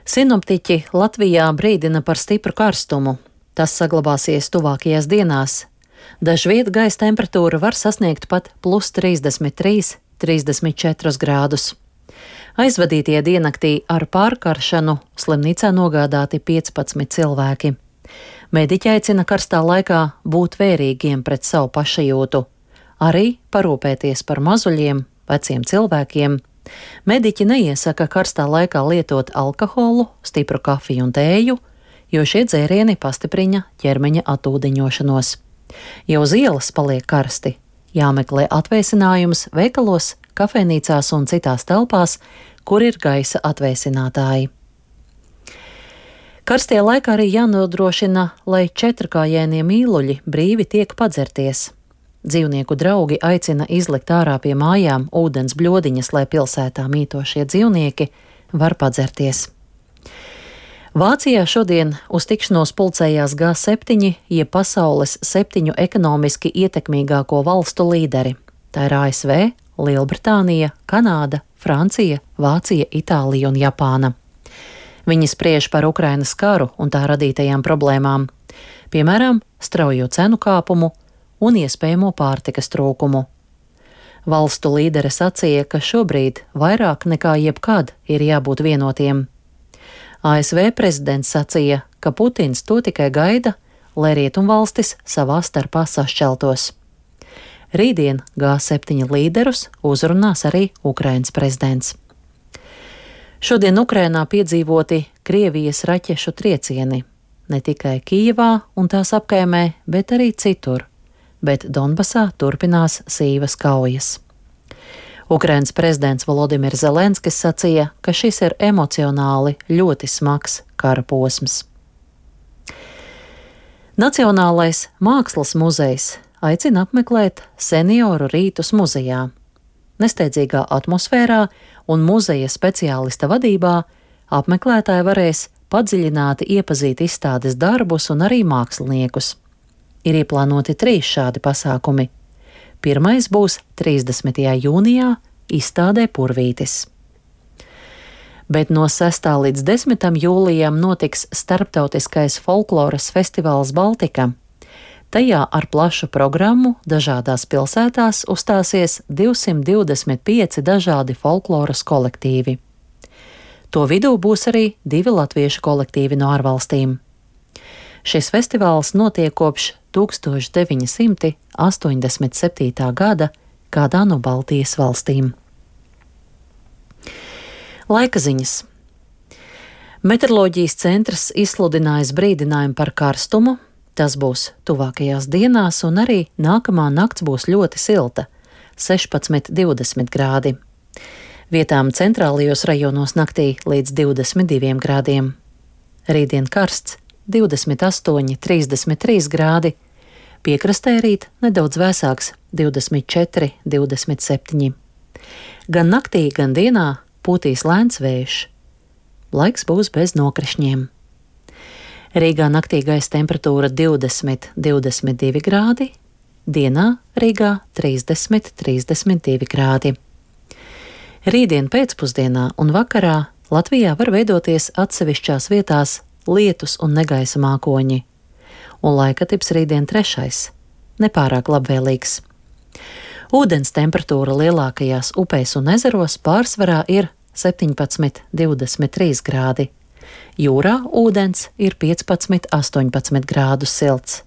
Sinoptiķi Latvijā brīdina par stipru karstumu. Tas saglabāsies tuvākajās dienās. Dažviet gaisa temperatūra var sasniegt pat +33, 34 grādus. Aizvadītie diennaktī ar pārkaršanu slimnīcā nogādāti 15 cilvēki. Mediķi aicina karstā laikā būt vērīgiem pret savu pašajūtu, arī parūpēties par mazuļiem, veciem cilvēkiem. Mediķi neiesaka karstā laikā lietot alkoholu, stipru kafiju un tēju, jo šie dzērieni pastiprina ķermeņa atūdeņošanos. Ja uz ielas paliek karsti, jāmeklē atvēsinājums veikalos, kafejnīcās un citās telpās, kur ir gaisa atvēsinātāji. Karstajā laikā arī jānodrošina, lai četrkājainie mīluļi brīvi tiek padzerties. Dzīvnieku draugi aicina izlikt ārā pie mājām ūdens bļodiņas, lai pilsētā mītošie dzīvnieki var padzerties. Vācijā šodien uz tikšanos pulcējās G7, jeb pasaules 7 ekonomiski ietekmīgāko valstu līderi. Tā ir ASV, Lielbritānija, Kanāda, Francija, Vācija, Itālija un Japāna. Viņi spriež par Ukrainas karu un tā radītajām problēmām, piemēram, straujo cenu kāpumu un iespējamo pārtikas trūkumu. Valstu līderi sacīja, ka šobrīd vairāk nekā jebkad ir jābūt vienotiem. ASV prezidents sacīja, ka Putins to tikai gaida, lai rietumvalstis savā starpā sašķeltos. Rītdien G7 līderus uzrunās arī Ukrainas prezidents. Šodien Ukrainā piedzīvoti Krievijas raķešu triecieni, ne tikai Kijevā un tās apkaimē, bet arī citur. Bet Donbasā turpinās sīvas kaujas. Ukrainas prezidents Volodimirs Zelenskis sacīja, ka šis ir emocionāli ļoti smags kara posms. Nacionālais mākslas muzejs aicina apmeklēt senioru rītus muzejā. Nesteidzīgā atmosfērā un muzeja speciālista vadībā apmeklētāji varēs padziļināti iepazīt izstādes darbus un arī māksliniekus. Ir ieplānoti 3 šādi pasākumi. Pirmais būs 30. jūnijā izstādē Purvītis. Bet no 6. līdz 10. jūlijam notiks starptautiskais folkloras festivāls Baltika. Tajā ar plašu programmu dažādās pilsētās uzstāsies 225 dažādi folkloras kolektīvi. To vidū būs arī 2 latviešu kolektīvi no ārvalstīm. Šis festivāls notiek kopš 1987. gada kādā no Baltijas valstīm. Laika ziņas. Meteoroloģijas centrs izsludinājis brīdinājumu par karstumu. Tas būs tuvākajās dienās, un arī nākamā nakts būs ļoti silta - 16–20 grādi. Vietām centrālajos rajonos naktī līdz 22 grādiem. Rītdien karsts - 28–33 grādi, piekrastē rīt nedaudz vēsāks - 24–27. Gan naktī, gan dienā pūtīs lēns vējš. Laiks būs bez nokrišņiem. Rīgā naktī gaisa temperatūra 20–22 grādi, dienā Rīgā 30–32 grādi. Rītdien pēcpusdienā un vakarā Latvijā var veidoties atsevišķās vietās lietus un negaisa mākoņi, un laikatips rītdien 3. nepārāk labvēlīgs. Ūdens temperatūra lielākajās upēs un ezeros pārsvarā ir 17–23 grādi. Jūrā ūdens ir 15–18 grādus silts.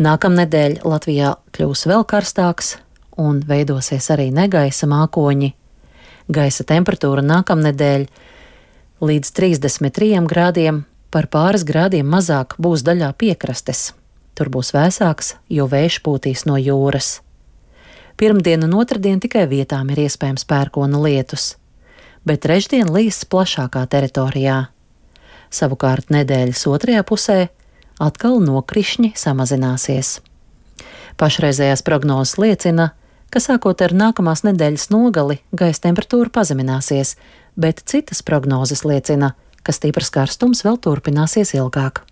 Nākamnedēļ Latvijā kļūs vēl karstāks un veidosies arī negaisa mākoņi. Gaisa temperatūra nākamnedēļ līdz 33 grādiem, par pāris grādiem mazāk būs daļā piekrastes. Tur būs vēsāks, jo vējš pūtīs no jūras. Pirmdien un otrdien tikai vietām ir iespējams pērkona lietus, bet trešdien līs plašākā teritorijā. Savukārt nedēļas otrajā pusē atkal nokrišņi samazināsies. Pašreizējās prognozes liecina, ka sākot ar nākamās nedēļas nogali gaisa temperatūra pazemināsies, bet citas prognozes liecina, ka stiprs karstums vēl turpināsies ilgāk.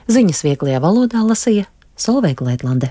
Ziņas vieglajā valodā lasīja Solveiga Leidlande.